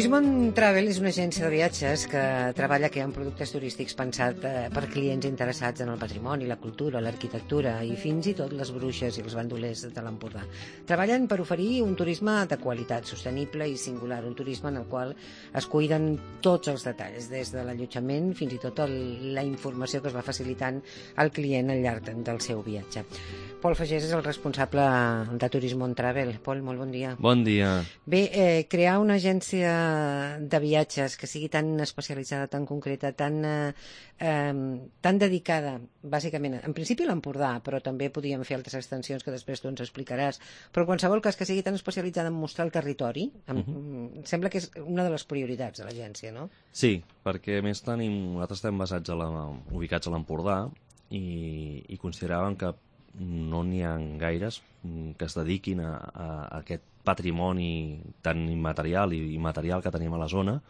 Turismon Travel és una agència de viatges que treballa creant productes turístics pensat per clients interessats en el patrimoni, la cultura, l'arquitectura i fins i tot les bruixes i els bandolers de l'Empordà. Treballen per oferir un turisme de qualitat, sostenible i singular, un turisme en el qual es cuiden tots els detalls, des de l'allotjament fins i tot la informació que es va facilitant al client al llarg del seu viatge. Pol Fagés és el responsable de Turismon Travel. Pol, molt bon dia. Bon dia. Bé, crear una agència de viatges que sigui tan especialitzada, tan concreta, tan dedicada, bàsicament, en principi a l'Empordà, però també podíem fer altres extensions que després tu ens explicaràs, però en qualsevol cas que sigui tan especialitzada en mostrar el territori, sembla que és una de les prioritats de l'agència, no? Sí, perquè a més nosaltres estem ubicats a l'Empordà i consideràvem que no n'hi ha gaires que es dediquin a aquest patrimoni tan immaterial i material que tenim a la zona,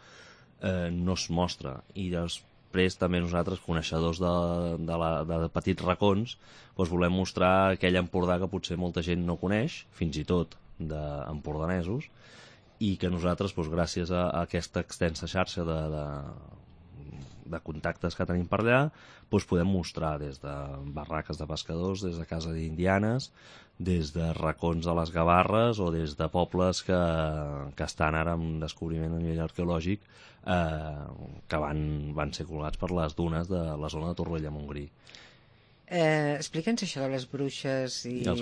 no es mostra. I després també nosaltres, coneixedors de petits racons, doncs volem mostrar aquell Empordà que potser molta gent no coneix, fins i tot d'empordanesos, i que nosaltres, doncs, gràcies a aquesta extensa xarxa de contactes que tenim per allà, doncs podem mostrar des de barraques de pescadors, des de casa d'indianes, des de racons a les Gavarres o des de pobles que estan ara en descobriment a nivell arqueològic, que van ser colgats per les dunes de la zona de Torroella-Montgrí. Explica'ns això de les bruixes i els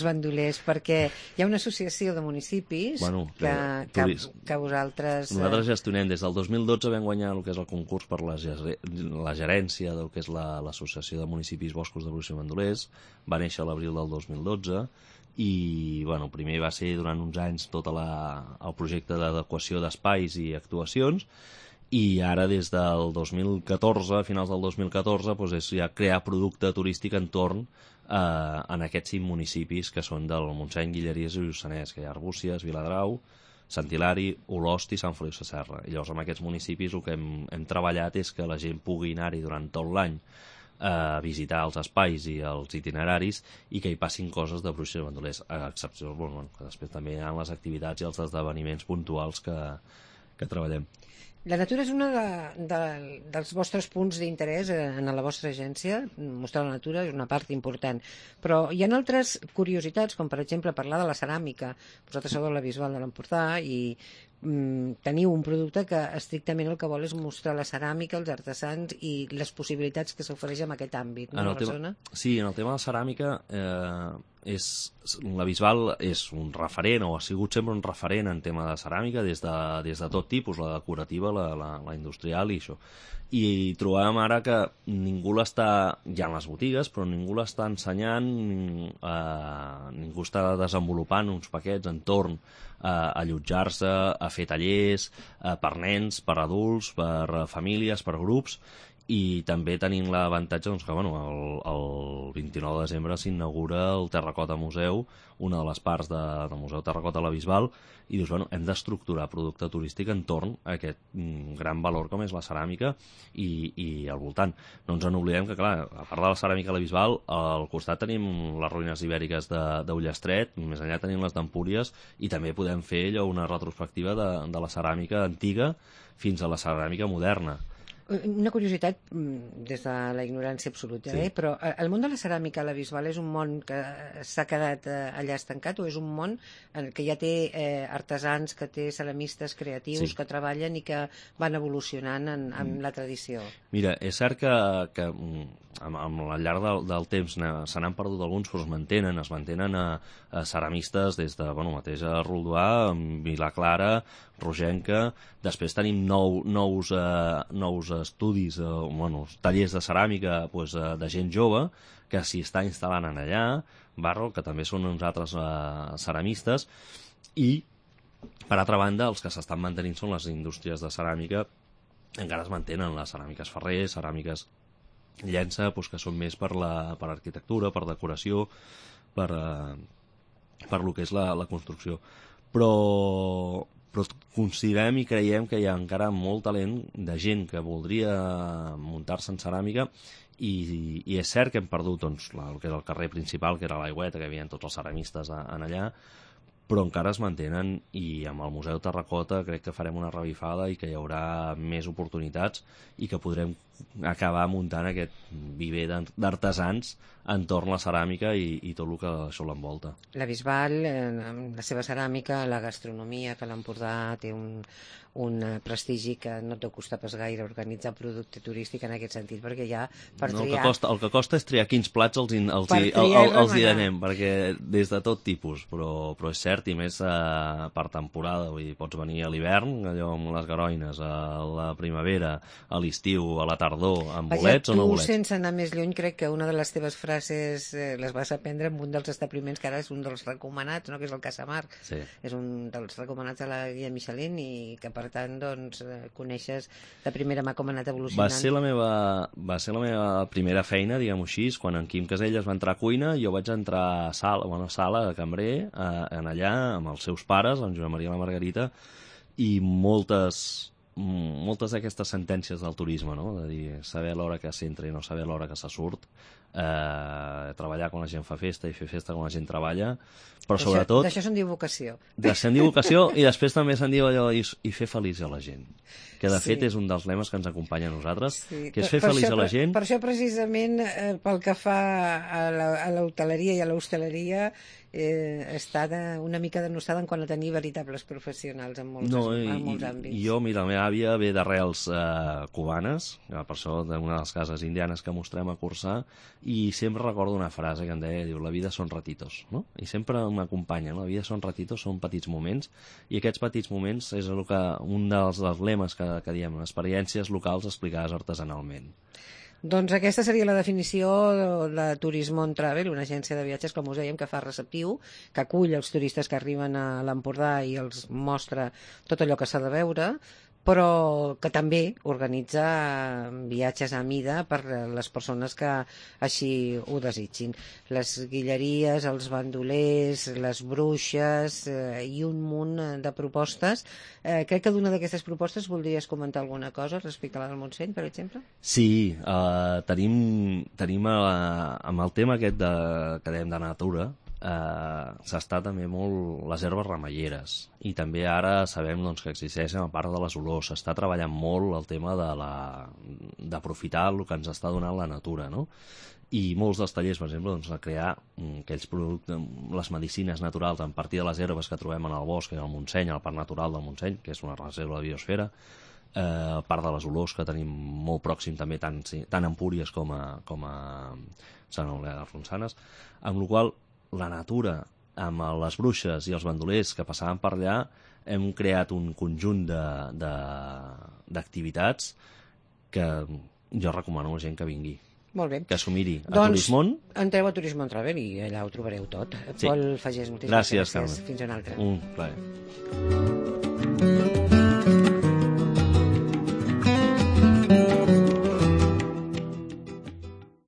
bandolers, perquè hi ha una associació de municipis que vosaltres... Nosaltres gestionem des del 2012, vam guanyar el que és el concurs per la gerència del que és l'Associació de Municipis Boscos de Bruixes i Bandolers. Va néixer a l'abril del 2012 i primer va ser durant uns anys tot el projecte d'adequació d'espais i actuacions, i ara des del 2014, a finals del 2014, doncs és ja crear producte turístic entorn en aquests 5 municipis que són del Montseny, Guilleries i Lluçanès, que hi ha Arbúcies, Viladrau, Sant Hilari, Olost i Sant Feliu Sasserra. I llavors en aquests municipis el que hem treballat és que la gent pugui anar-hi durant tot l'any a visitar els espais i els itineraris i que hi passin coses de bruixes i bandolers, a excepció que després també hi ha les activitats i els esdeveniments puntuals que treballem. La natura és un dels vostres punts d'interès en la vostra agència. Mostrar la natura és una part important, però hi ha altres curiositats, com per exemple parlar de la ceràmica. Vosaltres sou de la Bisbal de l'Empordà i teniu un producte que estrictament el que vol és mostrar la ceràmica, els artesans i les possibilitats que s'ofereix en aquest àmbit, no, a la zona? Sí, en el tema de la ceràmica la Bisbal és un referent, o ha sigut sempre un referent en tema de ceràmica des de tot tipus, la decorativa, la industrial i això. I trobàvem ara que ningú l'està, ja en les botigues, però ningú l'està ensenyant, ningú està desenvolupant uns paquets entorn a allotjar-se, a fer tallers per nens, per adults, per famílies, per grups, i també tenim l'avantatge que el 29 de desembre s'inaugura el Terracota Museu, una de les parts del Museu Terracota a la Bisbal, i dius, hem d'estructurar producte turístic entorn a aquest gran valor com és la ceràmica i al voltant. No ens en oblidem que, clar, a part de la ceràmica a la Bisbal, al costat tenim les ruïnes ibèriques d'Ullastret, més enllà tenim les d'Empúries, i també podem fer una retrospectiva de la ceràmica antiga fins a la ceràmica moderna. Una curiositat des de la ignorància absoluta, sí. Però el món de la ceràmica a la Bisbal és un món que s'ha quedat allà estancat o és un món que ja té artesans, que té ceramistes creatius, sí, que treballen i que van evolucionant en la tradició? Mira, és cert que al llarg del temps se n'han perdut alguns, però es mantenen ceramistes des de mateix a Roldoà, Vilaclara, Rogenca. Després tenim nous estudis, tallers de ceràmica de gent jove que s'hi està instal·lant en allà, que també són uns altres ceramistes, i per altra banda els que s'estan mantenint són les indústries de ceràmica, encara es mantenen les ceràmiques Ferrer, ceràmiques Llença, que són més per arquitectura, per decoració, per lo que és la construcció. Però considerem i creiem que hi ha encara molt talent de gent que voldria muntar-se en ceràmica i és cert que hem perdut el que és el carrer principal, que era l'Aigüeta, que hi havia tots els ceramistes en allà, però encara es mantenen, i amb el Museu Terracota crec que farem una revifada i que hi haurà més oportunitats i que podrem acabar muntant aquest viver d'artesans entorn la ceràmica i tot el que això l'envolta. La Bisbal, amb la seva ceràmica, la gastronomia, que l'Empordà té un prestigi que no et deu costar pas gaire organitzar producte turístic en aquest sentit, perquè ja per triar... El que costa és triar quins plats els hi anem, perquè des de tot tipus, però és cert, i més per temporada, vull dir, pots venir a l'hivern, allò amb les garoines, a la primavera, a l'estiu, a la tardor, amb bolets o no bolets. Tu, sense anar més lluny, crec que una de les teves frases les vas aprendre en un dels establiments que ara és un dels recomanats, no? Que és el Casamar. Sí. És un dels recomanats de la guia Michelin i que, per tant, doncs, coneixes de primera mà com ha anat evolucionant. Va ser la meva primera feina, diguem-ho així, quan en Quim Caselles va entrar a cuina, jo vaig entrar a sala de cambrer, en allà, amb els seus pares, en Joan Maria i la Margarita, i moltes d'aquestes sentències del turisme, no? De dir, saber l'hora que s'entra i no saber l'hora que se surt, treballar quan la gent fa festa i fer festa quan la gent treballa, però sobretot... D'això se'n diu vocació. Se'n diu vocació, i després també se'n diu allò i fer feliç a la gent, que de fet és un dels lemes que ens acompanya a nosaltres, que és fer feliç a la gent. Per això precisament, pel que fa a l'hoteleria i a l'hostaleria, està una mica denostada en quant a tenir veritables professionals en molts àmbits. Jo, mira, la meva àvia ve d'arrels cubanes, per això d'una de les cases indianes que mostrem a cursar, i sempre recordo una frase que em deia, diu, la vida són ratitos, no? I sempre m'acompanya, no? La vida són ratitos, són petits moments, i aquests petits moments és un dels lemes que diem, experiències locals explicades artesanalment. Doncs aquesta seria la definició de Turismo on Travel, una agència de viatges, com us dèiem, que fa receptiu, que acull els turistes que arriben a l'Empordà i els mostra tot allò que s'ha de veure, però que també organitza viatges a mida per les persones que així ho desitgin. Les guilleries, els bandolers, les bruixes i un munt de propostes. Crec que d'una d'aquestes propostes voldries comentar alguna cosa respecte a la del Montseny, per exemple? Sí, tenim amb el tema aquest que dèiem de natura, s'està també molt les herbes remeieres, i també ara sabem doncs, que existeixen a part de les olors. S'està treballant molt el tema d'aprofitar el que ens està donant la natura, no? I molts dels tallers, per exemple, doncs, a crear aquells productes, les medicines naturals a partir de les herbes que trobem en el bosc, al Montseny, al Parc Natural del Montseny, que és una reserva de biosfera, a part de les olors que tenim molt pròxim també, tant a Empúries com a Sant Eulàlia de Ronçanes, amb la qual la natura, amb les bruixes i els bandolers que passaven per allà, hem creat un conjunt d'activitats que jo recomano a la gent que vingui. Molt bé. Que s'ho miri a Turismon. Entreu a Turismo on Travel i allà ho trobareu tot. Sí. Pol Fagés, moltíssimes gràcies. Carme. Fins una altra. Un plaer.